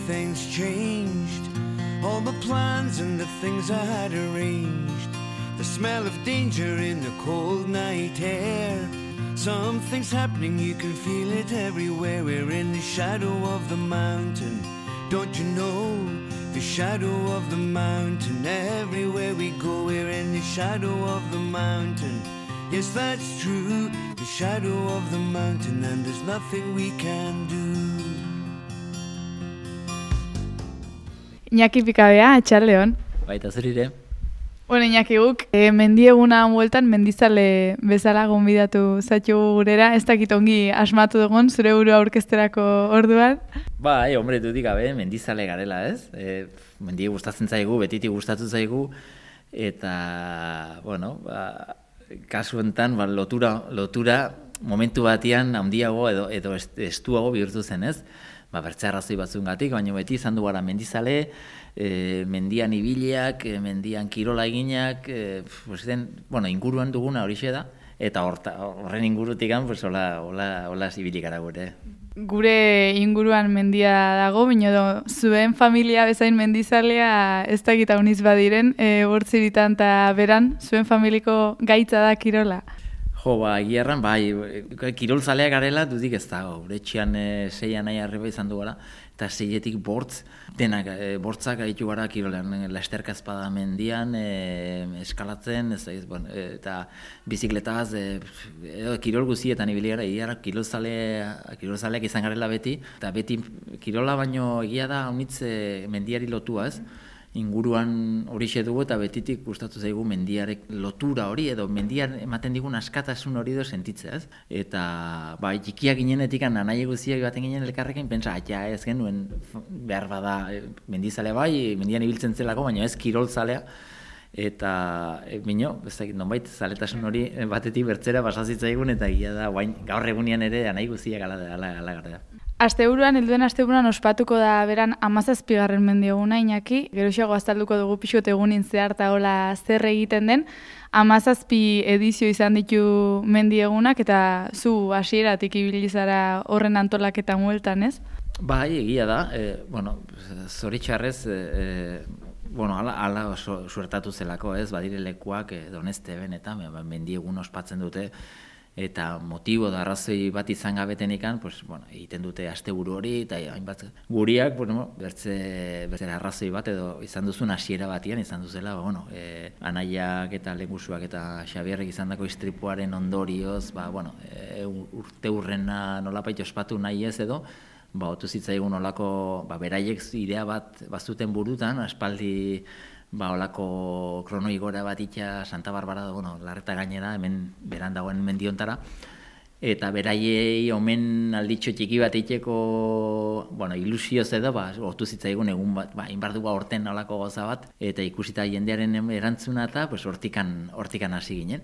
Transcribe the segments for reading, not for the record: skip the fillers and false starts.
everything's changed. All the plans and the things I had arranged. The smell of danger in the cold night air. Something's happening, you can feel it everywhere. We're in the shadow of the mountain. Don't you know? The shadow of the mountain. Everywhere we go, we're in the shadow of the mountain. Yes, that's true. The shadow of the mountain, and there's nothing we can do. Iñaki Pikabea, atxaldeon. Baita zurire. Bueno, Iñaki guk, mendieguna bueltan mendizale bezala gonbidatu zaitu gurera, ez dakit ongi asmatu dugun zure burua aurkezterako orduan. Bai, hombre, dudik gabe, mendizale garela, ez? Mendie gustatzen zaigu, betitik gustatu zaigu, eta, bueno, kasu enten, lotura momentu batian handiago edo estuago bihurtu zen, ez? Bertze arrazoi batzungatik, baina beti izan du gara mendizale, mendian ibiliak, mendian kirola eginak, inguruan duguna horixe da, eta horren ingurutik hola zibilik gara gure. Gure inguruan mendia dago, baina zuen familia bezain mendizalea ez dakit hauniz badiren, bortziritan eta beran, zuen familiko gaitza da kirola. Jo, egia bai, kirolzaleak garela dudik ez dago, gure etxean 6 nahi arriba izan du gara, eta 6etik denak bortzak gaitu gara kirolean, lasterka espada mendian, eskalatzen, eta bizikletaz, kirol guzietan ibili gara, egia kirolzaleak izan garela beti, eta beti kirola baino egia da honitz mendiari lotua, ez? Inguruan horixe dugu eta betitik gustatu zaigu mendiarek lotura hori edo mendian ematen digun askatasun hori edo sentitzea, ez? Eta txikiak ginenetik nahi guziak baten ginen elkarrekin, pentsa, ez genuen behar bada mendizale bai, mendian ibiltzen zelako, baina ez kirolzalea. Eta, nonbait zaletasun hori batetik bertzera pasazitzaigun eta gila da, gaur egunean ere nahi guziak ala gara. Helduen asteburuan ospatuko da beran 17. mendieguna, Iñaki, geroxeago azalduko dugu pixot egunin zehar eta hola zer egiten den. 17 edizio izan ditu mendiegunak eta zu hasieratik ibili zara horren antolaketan hueltan, ez? Bai, egia da, zoritxarrez, ala suertatu zelako, ez, badire lekuak Donesteben eta mendiegun ospatzen dute, eta motibo da arrazoi bat izan gabetenikan, egiten dute asteburu hori, eta hainbat guriak, bertze arrazoi bat edo izan duzun hasiera batian, izan duzela, anaiak eta lehengusuak eta Xabierrek izan dako istripuaren ondorioz, urte hurrena nolapait ospatu nahi ez edo, otu zitzaigun olako, beraiek idea bat bazuten burutan, aspaldi olako kronoigora bat itxa Santa Barbara da, Larreta gainera, hemen beran dagoen mendiontara, eta beraiei omen alditxo txiki bat itxeko, ilusioz edo, otu zitzaigun egun bat, inbar dugu horten olako goza bat, eta ikusita jendearen erantzuna eta hortikan hasi ginen.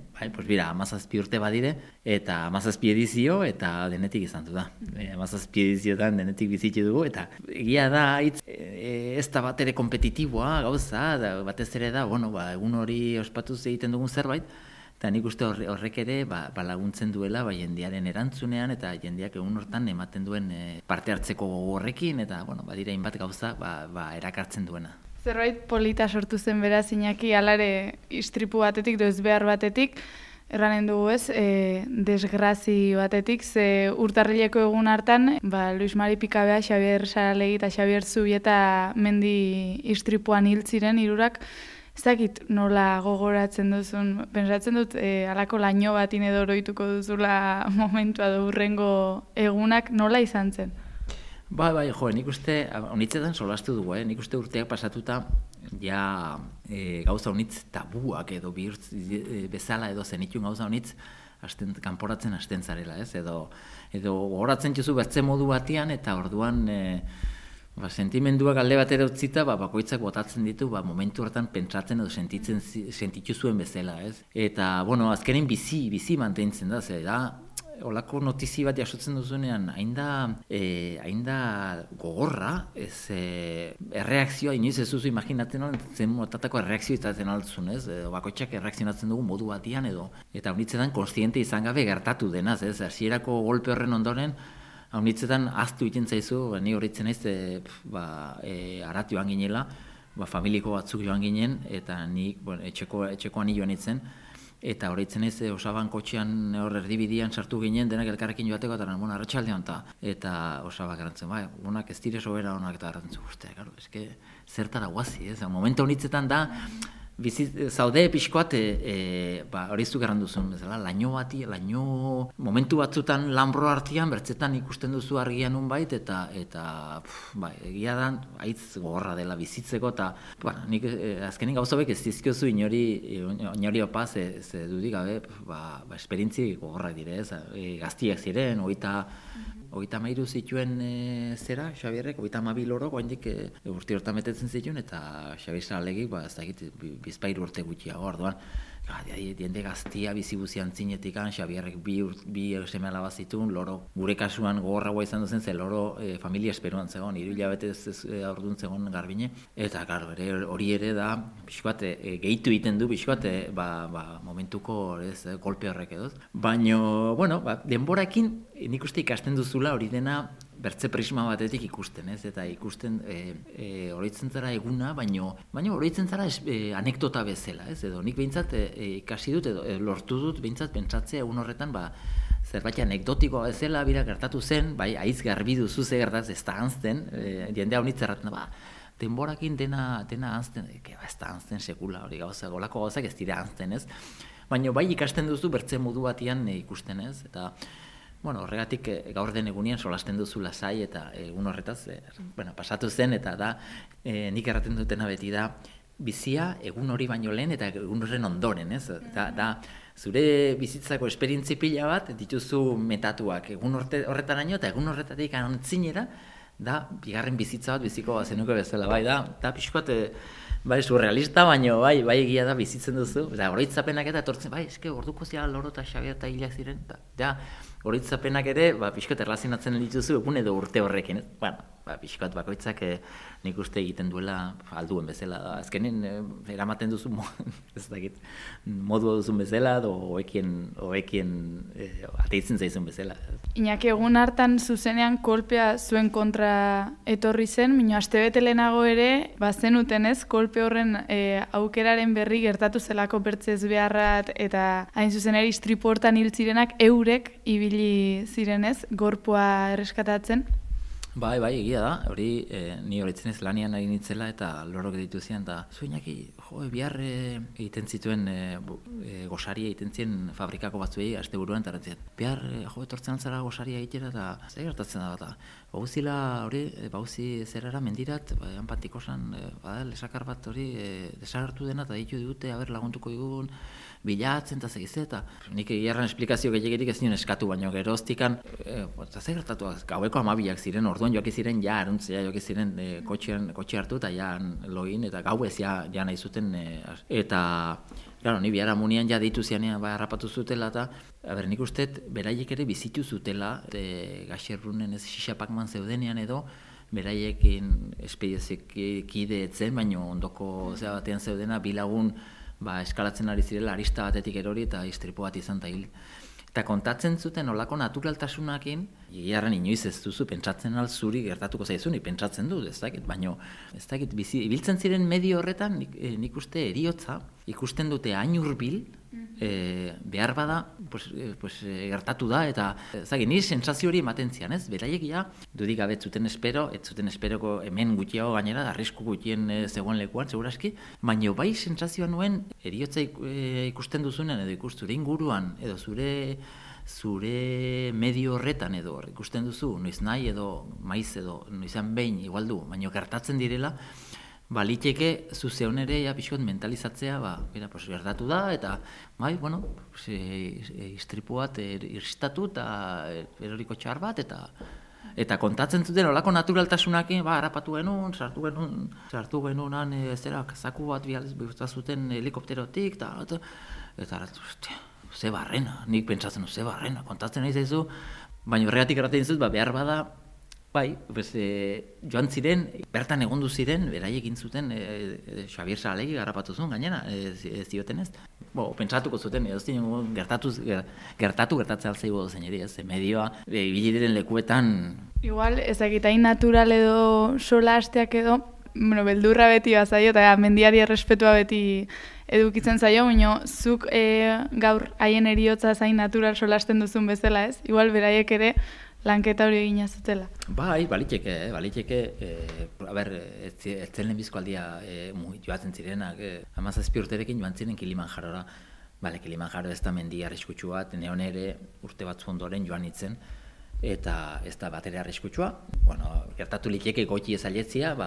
Bira, 17 urte badire, eta 17 edizio, eta denetik izan du da. 17 ediziotan denetik bizitxe dugu, eta egia da, ez da bat ere kompetitiboa gauza, batez ere da, egun hori ospatuz egiten dugun zerbait, eta nik uste horrek ere laguntzen duela jendearen erantzunean eta jendeak egun hortan ematen duen parte hartzeko horrekin eta badira hainbat gauza erakartzen duena. Zerbait polita sortu zen beraz, Iñaki, alare istripu batetik, doez behar batetik, erranen dugu ez, desgrazi batetik, ze urtarrileko egun hartan, Luis Mari Pikabea, Xabier Saralegi eta Xabier Zubieta mendi istripuan hil ziren hirurak. Ez dakit nola gogoratzen duzun, pentsatzen dut halako laino batin edo oroituko duzula momentua edo hurrengo egunak nola izan zen? Nik uste, honitzetan solastu dugu, nik uste urteak pasatuta ja gauza honitz tabuak edo bezala edo zenitun gauza honitz kanporatzen hasten zarela, ez? Edo gogoratzen txuzu bertze modu batian eta orduan sentimenduak alde batera utzita, bakoitzak botatzen ditu, momentu hortan pentsatzen edo sentitu zuen bezala, ez? Eta, azkenin bizi mantentzen da, olako notizi bat jasotzen duzunean, hain da gogorra, erreakzioa, inoiz ez duzu imaginatzen zen motatako erreakzio izaten altzun, ez? Bakoitzak erreakzionatzen dugu modu batian edo, eta honitzetan konstiente izan gabe gertatu denaz, ez? Hasierako golpe horren ondoren, haunitzetan aztu egiten zaizu, ni horretzen naiz, arat joan ginela, familiko batzuk joan ginen, eta ni etxekoan joan nintzen, eta horretzen ez, Osaban kotxean hor erdibidian sartu ginen, denak elkarrekin joateko, eta arratsaldean eta Osabak erantzen, honak ez dire sobera honak eta erantzen guztia, eske zertara guazi, momentu honitzetan da, zaude pixkoat, hori zuk erran duzun, bezala, laino momentu batzutan lanbro artean, bertzetan ikusten duzu argian unbait, eta egia da, haitz gogorra dela bizitzeko, eta nik azkenik gauzabek ez dizkiozu inori opa, ze dudik gabe, esperientzi gogorrak dire, gaztiak ziren, 33 zituen Xabierrek, 32 loro, goindik urte hortan betetzen zituen, eta Xabier Saralegik, ez dakit, bizpairu urte gutxiago, orduan, diende gaztia bizibuzian zinetikan, Xabierrek bi seme alaba zituen, loro, gure kasuan gogorragoa izan duzen, ze loro familia esperuan zegoen, 3 hilabetez aurduan zegoen Garbine, eta hori ere da, pixkoat, gehitu egiten du, pixkoat, momentuko kolpe horrek edo. Baina, denborakin, nik uste ikasten duzula hori dena bertze prisma batetik ikusten, eta ikusten oroitzen zara eguna, baina oroitzen zara anekdota bezala, edo nik behintzat ikasi dut, edo lortu dut behintzat pentsatzea egun horretan, zerbait anekdotikoa bezala bira gertatu zen, haiz garbi duzu ze gertatzen ez da hanzten, jendea honitz erraten, denborakin dena hanzten, ez da hanzten sekula, hori golako gauzak ez dira hanzten, ez? Baina ikasten duzu bertze modu batian ikusten, ez? Eta horregatik gaur den egunean solasten duzu lasai eta egun horretaz pasatu zen, eta da nik erraten dutena beti da bizia egun hori baino lehen eta egun horren ondoren, ez? Da zure bizitzako esperientzi pila bat dituzu metatuak egun horretaraino eta egun horretatik antzinera da bigarren bizitza bat biziko bazenuke bezala, da pixkoat surrealista, baina bai egia da bizitzen duzu, eta oroitzapenak eta etortzen, eske orduko zira Loro eta Xabier eta hilak ziren, eta oroitzapenak ere, pixkoat erlazionatzen dituzu egun edo urte horrekin, pixkoat bakoitzak nik uste egiten duela alduen bezala, azkenen eramaten duzu, ez dakit, modu duzun bezala, edo hoekien ateitzen zaizun bezala. Iñaki, egun hartan zuzenean kolpea zuen kontra etorri zen, baina astebete lehenago ere, zenuten ez, kolpe horren aukeraren berri gertatu zelako bertzez beharrat, eta hain zuzen ere istripu hortan hil zirenak eurek ibili zirenez, gorpua erreskatatzen. Bai, egia da, hori ni horitzen ez lanian ari nitzela eta lorok dituzian, eta Iñaki, bihar egiten zituen gosaria egiten zien fabrikako batzuei asteburuan, eta rantzien, bihar etortzen altzara gosaria egitera, eta zer gertatzen da bat, bauzila hori, bauzi zerara mendirat, anpantikosan, lesakar bat hori desagertu dena, eta ditu digute, laguntuko digun, bilatzen eta segize, eta nik egiarran esplikazio gehiagirik ez nion eskatu, baina geroztikan, zer gertatu, gaueko 12 ziren, orduan joaki ziren, aruntzea joaki ziren kotxe hartu, eta login, eta gau ez nahi zuten, eta, ni bihar amunian deitu zianean harrapatu zutela, eta, nik usteet, beraiek ere bizitu zutela, gaxerrunen ez xixapakman zeudenean edo, beraiekin espediezekide etzen, baina ondoko batean zeudena, bilagun, eskalatzen ari zirela arista batetik erori eta istripu bat izan da hil. Eta kontatzen zuten olako naturaltasunakin, egiarren inoiz ez duzu pentsatzen zuri gertatuko zaizunik, pentsatzen dut, ez dakit, baina ez dakit, ibiltzen ziren medio horretan nik uste eriotza, ikusten dute hain hurbil, behar bada gertatu da, eta nire sensazio hori ematen zian, ez? Beraiek dudik gabe ez zuten esperoko hemen gutxiago gainera, arrisku gutxien zegoen lekuan, seguraski, baina bai sensazioa nuen eriotza ikusten duzunen, edo zure inguruan, edo zure medio horretan edo ikusten duzu, noiz nahi edo maiz edo noizan behin igualdu, baina gertatzen direla, liteke zuzeon ere pixkot mentalizatzea, gertatu da, eta istripu bat irristatu eta eroriko txar bat, eta kontatzen zuten olako naturaltasunakin, harrapatu genuen, sartu genuen, zaku bat zuten helikopterotik, eta ze barrena, nik pentsatzen ze barrena, kontatzen nahi zaizu, baina horregatik erraten dizut, behar bada, Bai, joan ziren, bertan egondu ziren, beraiek egin zuten, Xabier Saralegi garrapatu zuen gainera, ez dioten ez. Pentsatuko zuten, gertatzea alzaigu dozen eri, ez, medioa, ibili diren lekuetan. Igual, ezakitain natural edo sola hasteak edo, beldurra beti bazaio, eta mendiari errespetua beti edukitzen zaio, baina zuk gaur haien eriotza zain natural solasten duzun bezala, ez? Igual, beraiek ere, lanketa hori egina zutela. Bai, baliteke. Ez zen lehenbizko aldia joatzen zirenak. 17 urterekin joan ziren Kilimanjarora. Kilimanjaro ez da mendi arriskutsu bat, neon ere urte batzu ondoren joan nintzen, eta ez da bat ere arriskutsua. Gertatu liteke goiti ezaletzia,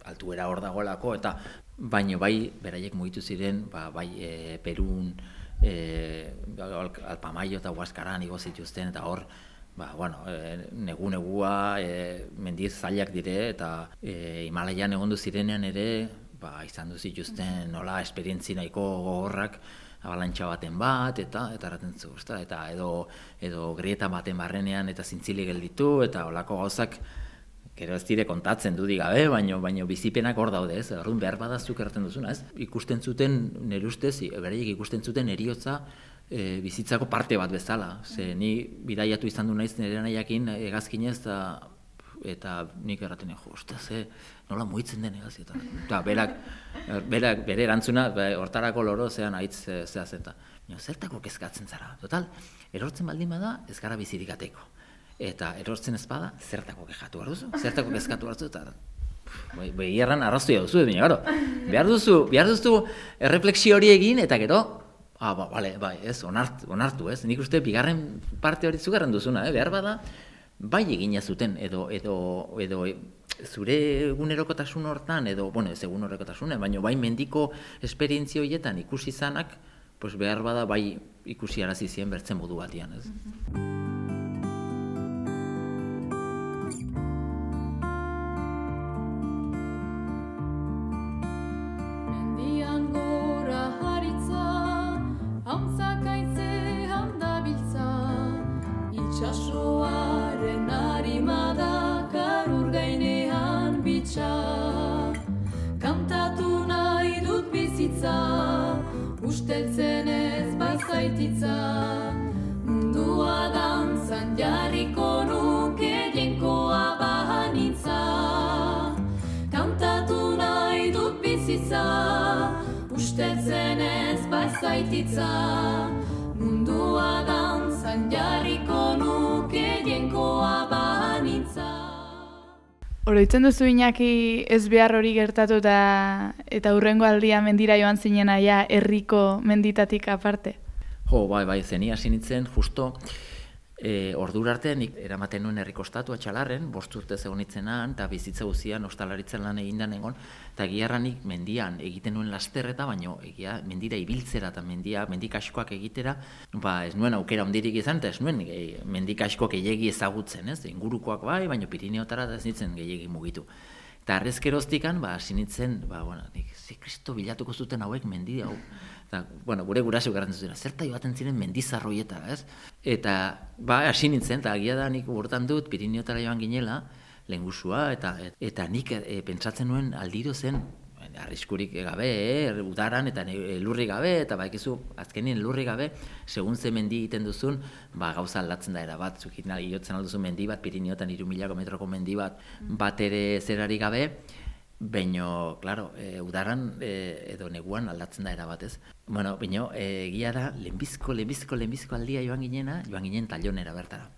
altuera hor dagoelako, eta baino bai, beraiek mugitu ziren, Perun, Alpamayo eta Huaskaran igo zituzten, eta hor, negua, mendiz zailak dire, eta Himalaian egondu zirenean ere, izan du zituzten nola esperientzi nahiko gogorrak, abalantxa baten bat, eta erraten zu, eta edo grieta baten barrenean, eta zintzili gelditu, eta holako gauzak, gero ez dire kontatzen dudik gabe, baino bizipenak hor daude, ez? Orduan behar badazuk erraten duzuna, ez? Ikusten zuten, nire ustez, beraiek ikusten zuten eriotza, bizitzako parte bat bezala. Ni bidaiatu izan du naiz nire nahiakin hegazkinez, eta nik erraten nola mugitzen den hegazki. Eta bere erantzuna, hortarako loro zean aitz zehazeta. Zertako kezkatzen zara. Total, erortzen baldin bada, ez gara bizirik ateko. Eta erortzen ez bada, zertako kexatu behar duzu. Zertako kezkatu behar duzu, eta behirran arraztua duzu, behar duzu erreflexio hori egin, eta gero, ez, onartu, ez. Nik uste, bigarren parte hori zugarren duzuna, behar bada, bai egina zuten, edo zure egunerokotasun hortan, edo, ez egunerokotasunen, baina bai mendiko esperientzia horietan ikusi zanak, behar bada bai ikusi arazi zien bertzen modu batian, ez. Itxasoaren harimada garur gainean bitxa, kantatu nahi dut bizitza, usteltzen ez bazaititza, mundua dantzan jarriko nuke jenkoa bahanitza, kantatu nahi dut bizitza, usteltzen ez bazaititza, mundua dantzan jarriko nuke jenkoa banitza. Oroitzen duzu Iñaki ez behar hori gertatu eta hurrengo aldia mendira joan zinena herriko menditatik aparte? Bai, zeni hasi nintzen, justo ordura arte nik eramaten nuen herriko estatua Txalarren, 5 urte egon nintzenan, eta bizitza guzian ostalaritzen lan egindan egon, eta giarranik mendian egiten nuen lasterreta, baino mendira ibiltzera eta mendik askoak egitera, ez nuen aukera ondirik izan, eta ez nuen mendik askoak gehiegi ezagutzen, ez? Ingurukoak bai, baino Pirineotara ez nintzen gehiegi mugitu. Eta arrezkeroztikan, hasi nintzen, nik kristo bilatuko zuten hauek mendi hau. Eta, gure guraso garrantzen zuten, zerta joaten ziren mendizarroietara, ez? Eta, hasi nintzen, eta agia da nik urtan dut, Pirineotara joan ginela, lehengusua, eta nik pentsatzen nuen aldiro zen, arriskurik gabe, udaran, eta lurri gabe, eta baikizu, azkenien lurri gabe, segun ze mendi egiten duzun, gauza aldatzen da erabat, zukit iotzen alduzun mendi bat, Pirineotan 3000 metroko mendi bat ere zerari gabe, baina, klaro, udaran edo neguan aldatzen da erabat, ez? Baina, egia da, lehenbizko aldia joan ginen Tailonera bertara.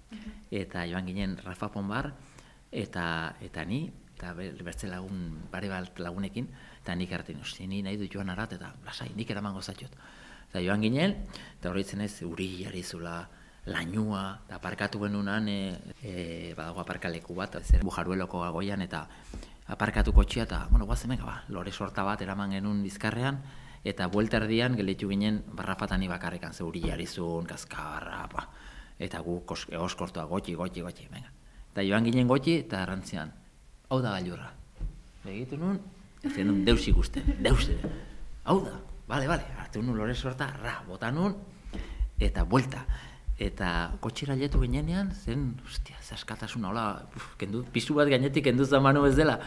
Eta joan ginen Rafa Ponbar, eta ni, eta bertze bare bat lagunekin, eta nik hartin, ni nahi dut joan arat, eta lasai, nik eraman gozatxot. Eta joan ginen, eta horretzen ez, uri zula, lainua, eta aparkatu genunan, badago aparkaleku bat, Bujarueloko agoian, eta aparkatu kotxia, eta, guazen lore sorta bat eraman genuen bizkarrean, eta buelta erdian gelditu ginen Barrafatani bakarrekan, ze uri jarizun, kaskarra, eta gu egoskortua, gotxi, venga. Eta joan ginen gotxi, eta errantzian, hau da gailurra. Begitu nun, ez genuen deus ikusten, hau da, bale, hartu nun lore sorta, bota nun, eta buelta. eta kotxera letu ginenean, zen, ostia, ze askatasuna, hola, pisu bat gainetik kendu zamanu ez dela.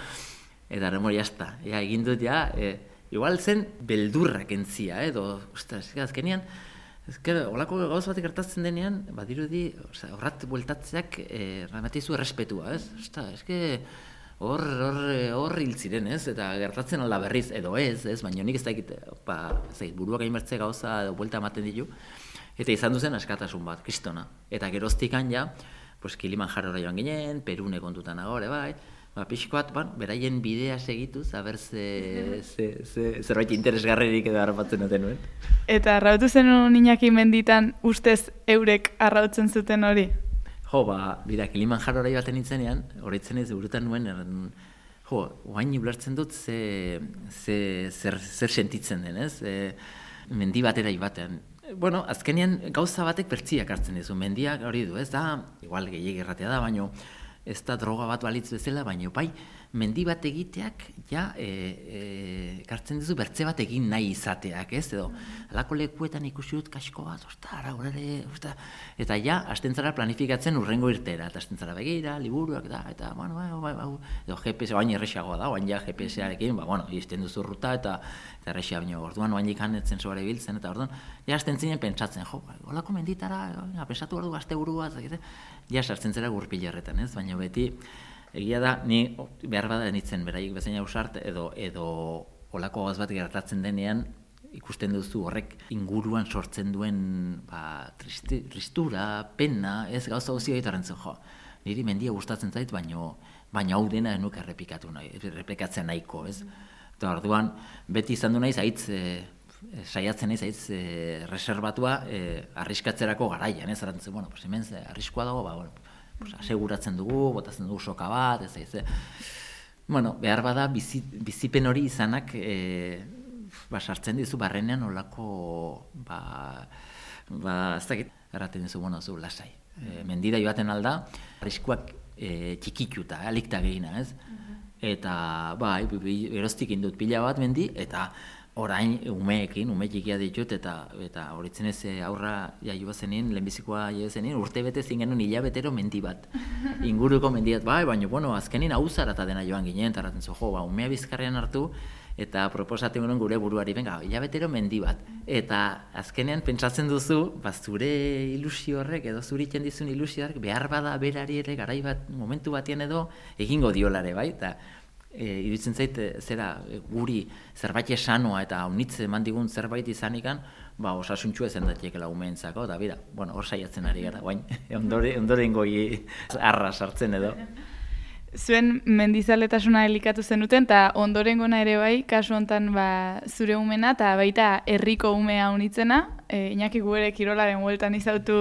Eta remor, jazta, egin dut, igual zen beldurrak entzia, edo, ostras, azkenean, holako gauz bat gertatzen denean, badirudi, horrat bueltatzeak, ramatizu errespetua, ez? Hor hil ziren, ez? Eta gertatzen alda berriz, edo ez, baina nik ez dakit, buruak hainbertze gauza edo buelta ematen ditu, eta izan duzen askatasun bat, kristona. Eta geroztikan ja, Kilimanjarora joan ginen, Perune kontutan agore, bai, pixkoat, beraien bidea segituz, haber zerbait interesgarririk edo harrapatzen duten nuen. Eta arrautu zen Iñaki menditan ustez eurek arrautzen zuten hori? Jo, bida, Kilimanjarora joaten nintzenean, horretzen ez burutan nuen, oain ulertzen dut zer sentitzen den, ez? Mendi batera ibatean. Bueno, azkenean gauza batek pertsiak hartzen dizu, mendiak hori du, ez da, igual gehiagik erratea da, baino, ez da droga bat balitz bezala, baina bai, mendi bat egiteak, kartzen dizu bertze bat egin nahi izateak, ez? Edo, alako lekuetan ikusi dut kasko bat, eta hasten zara planifikatzen urrengo irtera, eta hasten zara begira, liburuak da, eta, edo GPS, oain errexagoa da, oain GPS-arekin, izten duzu ruta, eta errexia baino, orduan oain ikan etzen sobare biltzen, eta orduan, hasten zinen pentsatzen, olako menditara, pensatu behar du gazte burua, sartzen zera gurpilerretan, ez? Baina beti, egia da, ni behar bada nitzen beraiek bezain ausart, edo olako gauz bat gertatzen denean, ikusten duzu horrek inguruan sortzen duen tristura, pena, ez gauza guzti gaitaren zen, niri mendia gustatzen zait, baina hau dena enuk errepikatzen nahiko, ez? Eta orduan, beti izan du naiz, saiatzen naiz, reserbatua arriskatzerako garaian, ez? Arantzen, hemen arriskoa dago, aseguratzen dugu, botatzen dugu soka bat, ez. Behar bada, bizipen hori izanak, sartzen dizu barrenean olako, ez dakit, erraten dizu, zu lasai. Mendira joaten alda, arriskoak txikituta, alikta gehina, ez? Eta, eroztik indut pila bat mendi, eta orain umeekin, ume txikia ditut, eta horitzen ez aurra jaioa zenien, lehenbizikoa jaioa zenien, urte bete zingenuen hilabetero mendi bat. Inguruko mendi bat, baina, azkenin hauzara eta dena joan ginen, eta erraten zu, umea bizkarrean hartu, eta proposatzen gure gure buruari, hilabetero mendi bat. Eta azkenean pentsatzen duzu, zure ilusio horrek, edo zuritzen dizun ilusioak, behar bada berari ere, garai bat, momentu batean edo, egingo diolare, bai, eta iruditzen zait, guri zerbait esanoa eta haunitze eman digun zerbait izanikan, osasuntxu ezen datekela umeentzako, eta bera, hor saiatzen ari gara, guain, ondoren goi arra sartzen edo. Zuen mendizaletasuna elikatu zenuten, eta ondorengona ere bai, kasu honetan zure umena, eta baita herriko umea unitzena, Iñaki gu ere kirolaren bueltan izautu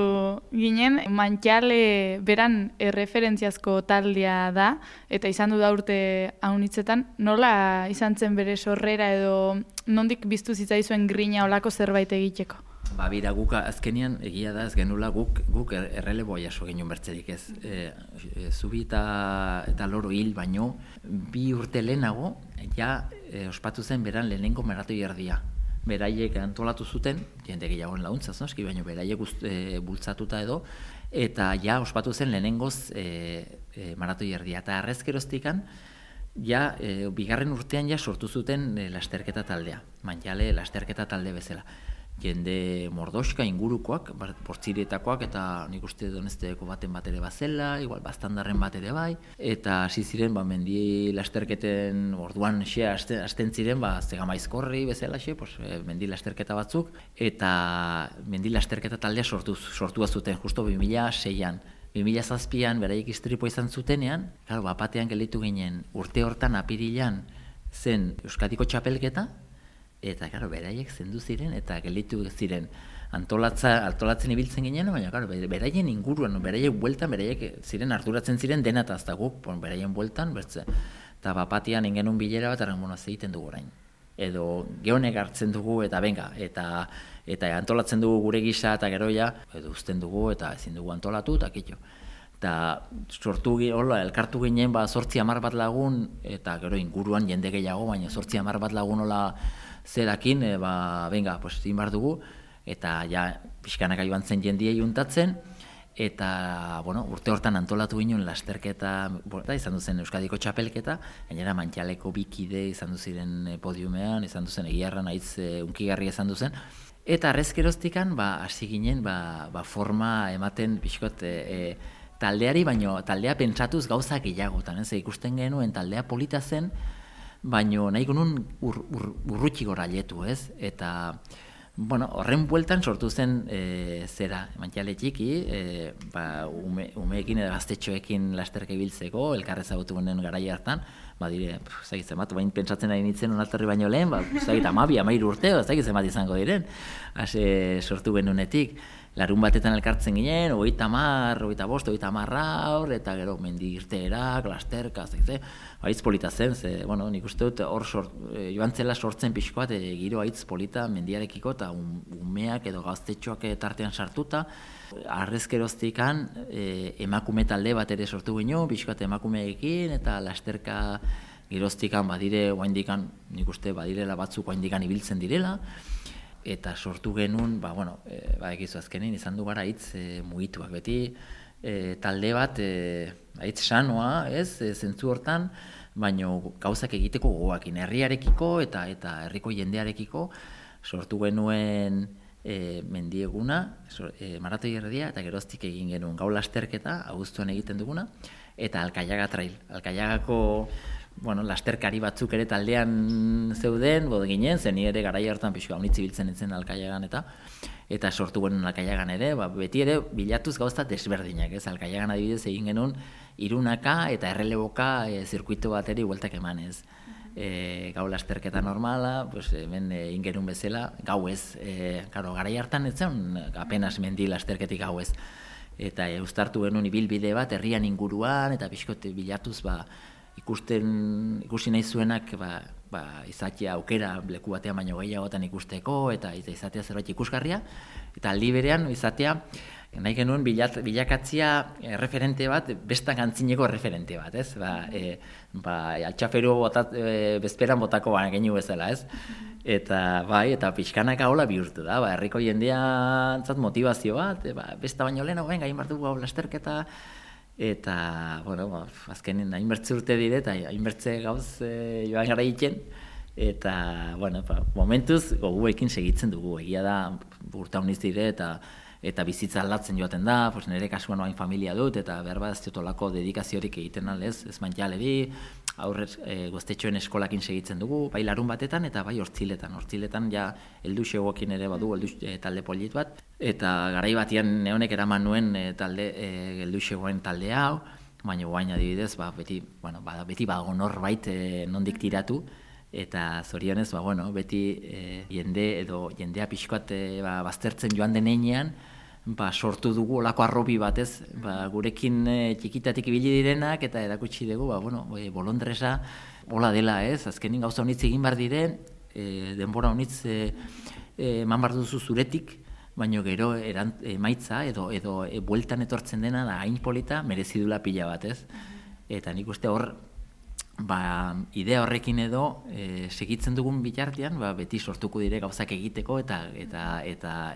ginen, Mantxale beran erreferentziazko taldea da, eta izan du da urte haunitzetan, nola izan zen bere sorrera edo nondik biztu zitzaizuen grina olako zerbait egiteko? Bira, guk azkenian egia da ez genula guk erreleboa jaso genuen bertzerik ez. Zubi eta loro hil baino, 2 urte lehenago, ospatu zen beran lehenengo maratoi erdia. Beraiek antolatu zuten, jende gehiagoen launtzaz, noski, baina beraiek bultzatuta edo, eta ospatu zen lehenengoz maratoi erdia. Eta arrezkeroztikan, bigarren urtean sortu zuten lasterketa taldea, Mantxale lasterketa talde bezala. Jende mordoska ingurukoak, portzirietakoak, eta nik uste Donezteko baten bat ere bazela, igual Baztandarren bat ere bai, eta hasi ziren mendi lasterketen orduan hasten ziren, Zegamaizkorri bezala, mendi lasterketa batzuk, eta mendi lasterketa taldea sortua zuten, justo 2006an. 2007an beraiek istripoa izan zutenean, bapatean gelditu ginen urte hortan apirilan zen Euskadiko txapelketa, eta, beraiek zendu ziren, eta gelditu ziren antolatzen ibiltzen ginen, baina, beraien inguruan, beraiek bueltan, beraiek ziren arduratzen ziren dena eta azta guk, beraien bueltan, eta bapatian ingenun bilera bat, egiten dugu orain. Edo gehonek hartzen dugu, eta benga, eta antolatzen dugu gure gisa, eta gero edo uzten dugu, eta ezin dugu antolatu, eta kitxo. Eta elkartu ginen 8-10 bat lagun, eta gero inguruan jende gehiago, baina 8-10 bat lagun zerakin, benga, zin behar dugu, eta ja pixkanaka joan zen jendia juntatzen, eta, urte hortan antolatu ginen lasterketa, izan duzen Euskadiko txapelketa, gainera Mantxaleko bikide izan duziren podiumean, izan duzen egiarran aitz unkigarri izan duzen, eta arrezkeroztikan, hasi ginen, forma ematen pixkot taldeari, baino taldea pentsatuz gauzak gehiagotan, ikusten genuen taldea polita zen, baino nahi genuen urrutxi gora letu, ez? Eta, horren bueltan sortu zen Mantxale txiki, umeekin edo gaztetxoekin lasterka ibiltzeko, elkarrez agotu genen garai hartan, dire, zagitzen bat, bain pentsatzen ari nintzen onalterri baino lehen, 12-13 urte, zagitzen bat izango diren, sortu genunetik. Larun batetan elkartzen ginen, 30, 25, 30 aur, eta gero mendi irteerak, lasterka, haitz polita zen, nik uste dut hor joan zela sortzen pixko bat, giro haitz polita mendiarekiko, eta umeak edo gaztetxoak tartean sartuta. Arrezkeroztikan emakume talde bat ere sortu ginen, pixko bat emakumeekin, eta lasterka geroztikan badire, oaindikan, nik uste badirela batzuk oaindikan ibiltzen direla, eta sortu genuen, egizu azkenin, izan du gara hitz mugituak, beti talde bat hitz sanoa, zentzu hortan, baino gauzak egiteko gogoakin, herriarekiko eta herriko jendearekiko sortu genuen mendieguna, maratoi erdia, eta geroztik egin genuen gau lasterketa, abuztuan egiten duguna, eta Alkaiaga trail. Alkaiagako lasterkari batzuk ere taldean zeuden, ginen, zen ere garai hartan pixua unitzi biltzen entzen Alkaiagan eta sortu genuen Alkaiagan ere, beti ere bilatuz gauza desberdinak, Alkaiagan adibidez egin genuen irunaka eta erreleboka zirkuito bat ere bueltak emanez. Gau lasterketa normala, hemen egin genuen bezala, gau ez, garai hartan ez zen apenas mendi lasterketik gau ez. Eta uztartu genuen ibilbide bat herrian inguruan, eta pixkote bilatuz ikusi nahi zuenak izatea aukera leku batean baino gehiagotan ikusteko eta izatea zerbait ikusgarria, eta aldi berean izatea nahi genuen bilakatzia referente bat, bestan gantzineko referente bat, ez? Altxaferu bezperan botako geniu bezala, ez? Eta pixkanaka hola bihurtu da, herriko jendeantzat motivazio bat, besta baino lehenago gain bartu lasterketa, eta, azkenen hainbertze urte dire, eta hainbertze gauz joan gara egiten, eta, momentuz goguekin segitzen dugu, egia da urta honiz dire, eta bizitza aldatzen joaten da, nire kasuan hain familia dut, eta behar bat ez diotolako dedikaziorik egiten alez, ez Mantxaleri, aurrez goztetxoen eskolakin segitzen dugu, bai larun batetan eta bai hortziletan ja helduxegoekin ere badu, talde polit bat, eta garai batian neonek eraman nuen helduxegoen talde hau, baina guain adibidez, beti bago norbait nondik tiratu, eta zorionez, beti jendea pixkoat baztertzen joan denean, sortu dugu olako arrobi batez, gurekin txikitatik ibili direnak, eta erakutsi dugu, bolondresa hola dela ez, azkenin gauza honitz egin bar dire, denbora honitz eman bar duzu zuretik, baina gero emaitza edo bueltan etortzen dena da hain polita merezidula pila bat ez. Eta nik uste hor, idea horrekin edo segitzen dugun bitartean, beti sortuko dire gauzak egiteko eta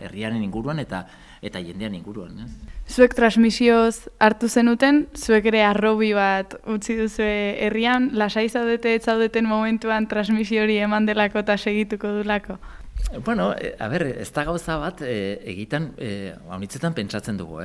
herriaren inguruan eta jendean inguruan. Zuek transmisioz hartu zenuten, zuek ere arrobi bat utzi duzu herrian, lasai zaudete ez zaudeten momentuan transmisio hori eman delako eta segituko dulako? Ez da gauza bat egitan, honitzetan pentsatzen dugu,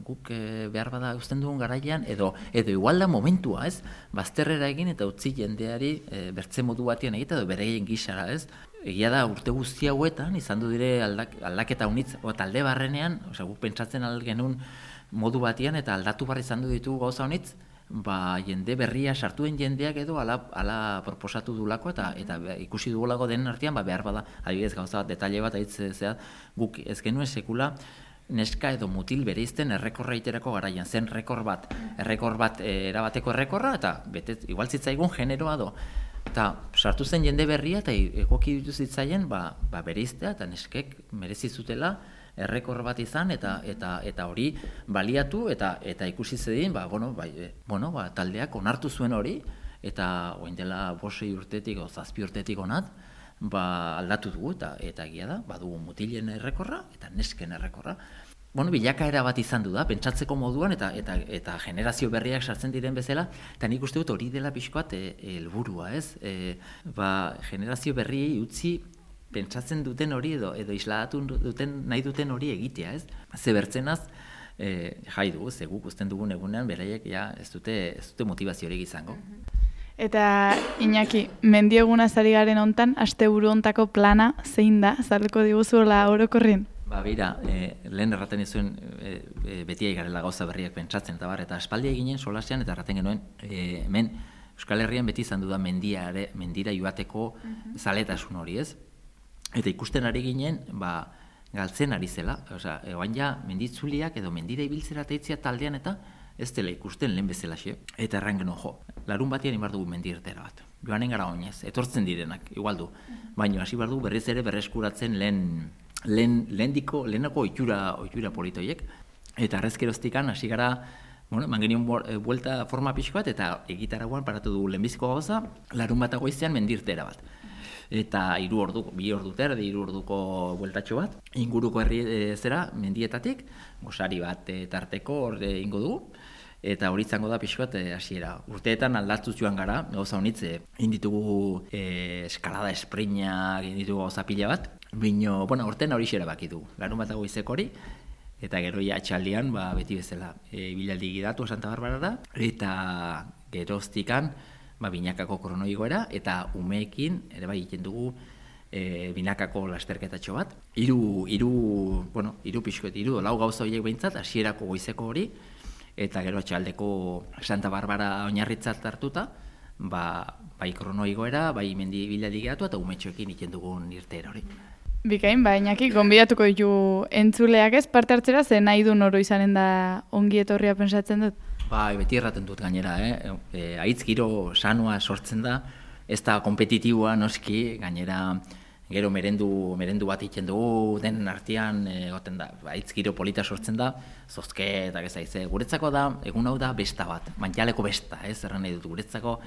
guk behar bada uzten dugun garaian, edo igual da momentua, ez? Bazterrera egin eta utzi jendeari bertze modu batean egita, edo bereien gisara, ez? Egia da urte guzti hauetan, izan du dire aldaketa unitz, talde barrenean, guk pentsatzen genuen modu batean, eta aldatu barri izan du ditugu gauza honitz, jende berria sartuen jendeak edo ala proposatu dulako eta ikusi dugulako den artean behar bada, adibidez gauza bat, detalle bat guk ez genuen sekula neska edo mutil bereizten errekorra iterako garaian, zen errekor bat erabateko errekorra, eta igual zitzaigun generoa do. Eta sartu zen jende berria eta egoki ditu zitzaien bereiztea eta neskek merezi zutela errekor bat izan eta hori baliatu eta ikusi zedin, taldeak onartu zuen hori eta orain dela 5 urtetik o 7 urtetik onat, aldatu dugu, eta egia da, badugu mutilen errekorra eta nesken errekorra. Bilakaera bat izan du da, pentsatzeko moduan eta generazio berriak sartzen diren bezala, eta nik uste dut hori dela pixkoat helburua, ez? Generazio berriei utzi pentsatzen duten hori edo isladatu nahi duten hori egitea, ez? Ze bertzenaz, jai dugu, ze guk usten dugun egunean, beraiek ez dute motivaziorik izango. Eta Iñaki, mendiegunaz ari garen hontan, asteburu hontako plana zein da, azalduko diguzuela orokorrien? Bira, lehen erraten izuen beti garela gauza berriak pentsatzen, eta espaldia ginen solasean, eta erraten genuen, hemen Euskal Herrian beti izan duda mendira joateko zaletasun hori, ez? Eta ikusten ari ginen, galtzen ari zela, egoan menditzuliak edo mendira ibiltzera teitzia taldean eta ez dela ikusten lehen bezalaxe. Eta erran genuen, larun batian ibar dugu mendirtera bat. Joanen gara oinez, etortzen direnak, igual du. Baina hasi bar dugu berriz ere berreskuratzen lehenako ohitura politoiek. Eta arrezkeroztikan hasi gara, eman genion buelta forma pixko bat, eta egitaragoan paratu dugu lehenbiziko gauza, larun bat goizean mendirtera bat. Eta 3 orduko bueltatxo bat, inguruko herri mendietatik, gosari bat tarteko ingo dugu, eta hori izango da pixko bat hasiera. Urteetan aldatuz joan gara, gauza honitze, inditugu eskalada esprinak, inditugu gauza pila bat, bino, urtean hori xera baki dugu, larun bat goizeko hori, eta gero atxaldian, beti bezala, bilaldi gidatu Santa Barbarara, eta geroztikan, binakako kronoigoera, eta umeekin, ere egiten dugu binakako lasterketatxo bat. Hiru lau gauza horiek behintzat, hasierako goizeko hori, eta gero atxaldeko Santa Barbara oinarritzat hartuta, bai kronoigoera, bai mendi bilaldi gidatu, eta umetxoekin egiten dugun irteera hori. Bikain, Iñaki, gonbidatuko ditu entzuleak ez parte hartzera, ze nahi du noro izanen da ongi etorria pensatzen dut? Beti erraten dut gainera, haitz giro sanua sortzen da, ez da kompetitiboa noski, gainera gero merendu bat egiten dugu, denen artean, haitz giro polita sortzen da, zozketak ez aize. Guretzako da, egun hau da besta bat, mantxaleko besta, erran nahi dut, guretzako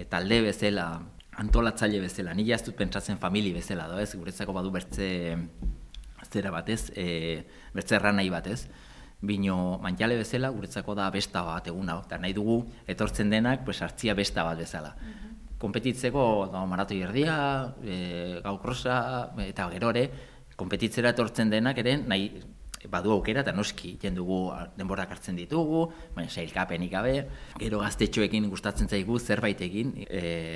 talde bezala, antolatzaile bezala, nila ez dut pentsatzen famili bezala, guretzako badu bertze zera batez, bertze erran nahi batez. Bino mantxale bezala guretzako da besta bat egun hau, eta nahi dugu etortzen denak hartzia besta bat bezala. Konpetitzeko maratoi erdia, gau krosa, eta gero ere, konpetitzera etortzen denak ere nahi badu aukera, eta noski dugu denborak hartzen ditugu, baina sailkapenik gabe, gero gaztetxoekin gustatzen zaigu zerbait egin,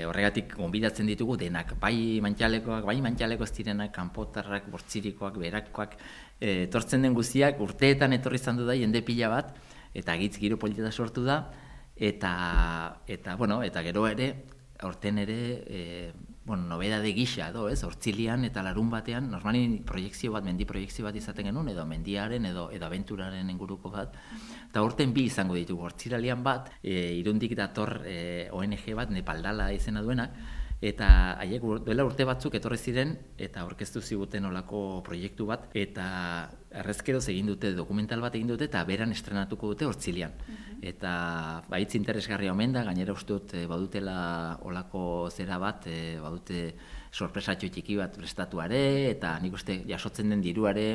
horregatik gonbidatzen ditugu denak, bai mantxaleko ez direnak, kanpotarrak, bortzirikoak, berakoak, etortzen den guztiak urteetan etorri izan du da jende pila bat, eta gitz giro polita sortu da, eta gero ere, aurten ere, nobedade gisa, hortzilian eta larun batean, normalin mendi proiekzio bat izaten genuen, edo mendiaren, edo abenturaren inguruko bat, eta aurten 2 izango ditugu, hortziralian bat, Irundik dator ONG bat, Nepaldala izena duenak, eta haiek duela urte batzuk etorri ziren eta aurkeztu ziguten olako proiektu bat, eta errezkeroz egin dute, dokumental bat egin dute, eta beran estrenatuko dute hortzilian. Eta hitz interesgarria omen da, gainera uste dut badutela olako zera bat, badute sorpresatxo txiki bat prestatuare, eta nik uste jasotzen den diruare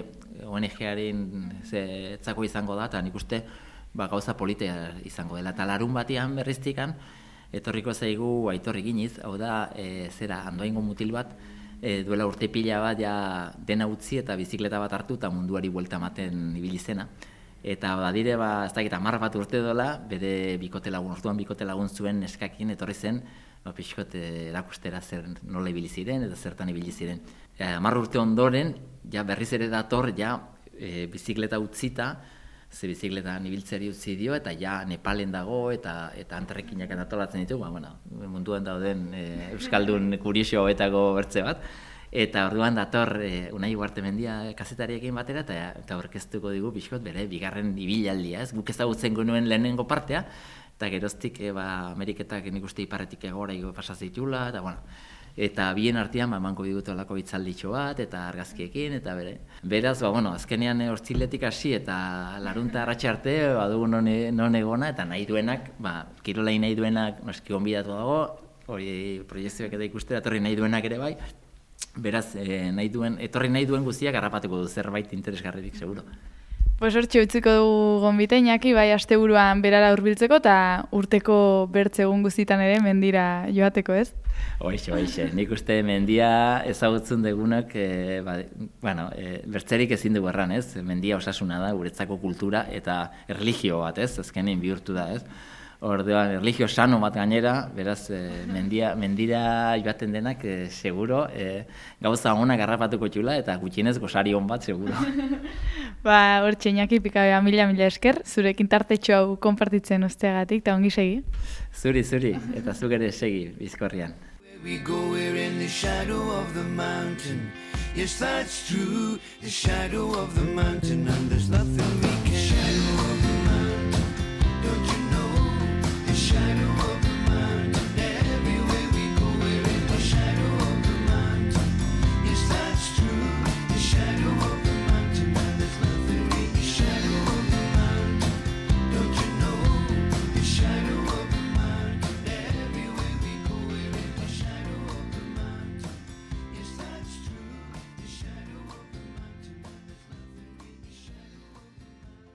ONG-aren zetzako izango da, eta nik uste gauza politea izango dela. Eta larun batean berriztikan, etorriko zaigu Aitor Eginiz, hau da, Andoaingo mutil bat, duela urte pila bat dena utzi eta bizikleta bat hartu eta munduari buelta ematen ibili zena. Eta badire, ez dakit 10 bat urte dola, bere orduan bikote lagun zuen neskakin etorri zen, pixkot erakustera nola ibili ziren eta zertan ibili ziren. 10 urte ondoren, berriz ere dator, bizikleta utzita, ze bizikletan ibiltzeri utzi dio, eta Nepalen dago, eta antarrekinak antolatzen ditugu, munduan dauden Euskaldun kurioso hauetako bertze bat. Eta orduan dator Unai Ugartemendia kazetariekin batera, eta aurkeztuko digu pixkot bere bigarren ibilaldia, guk ezagutzen genuen lehenengo partea, eta geroztik Ameriketak nik uste iparretik egora pasa zitula, eta bien artean emango digute olako hitzalditxo bat, eta argazkiekin, eta beraz, azkenean hortziletik hasi, eta larunta arratxe arte, badugu non egona, eta nahi duenak, kirolai nahi duenak noski gonbidatu dago, hori proiektzioak eta ikustera, etorri nahi duenak ere bai, Beraz, etorri nahi duen guztiak harrapatuko du zerbait interesgarririk, seguro. Pues hortxe utziko dugu gonbite, Iñaki, bai asteburuan berara hurbiltzeko eta urteko bertze egun guztitan ere mendira joateko, ez? Hoixe. Nik uste mendia ezagutzen dugunak, bertzerik ezin dugu erran, ez? Mendia osasuna da, guretzako kultura eta erlijio bat, ez? Azkenean bihurtu da, ez? Orduan, erlijio sano bat gainera, beraz, mendira joaten denak, seguro, gauza honak harrapatuko txula eta gutxienez gozari hon bat, seguro. Hortxe, Iñaki, pikabea, mila esker, zurekin tartetxo hau konpartitzen usteagatik, eta ongi segi. Zuri, eta zuk ere segi, Bizkorrian. We go, we're in the shadow of the mountain. Yes, that's true, the shadow of the mountain, and there's nothing we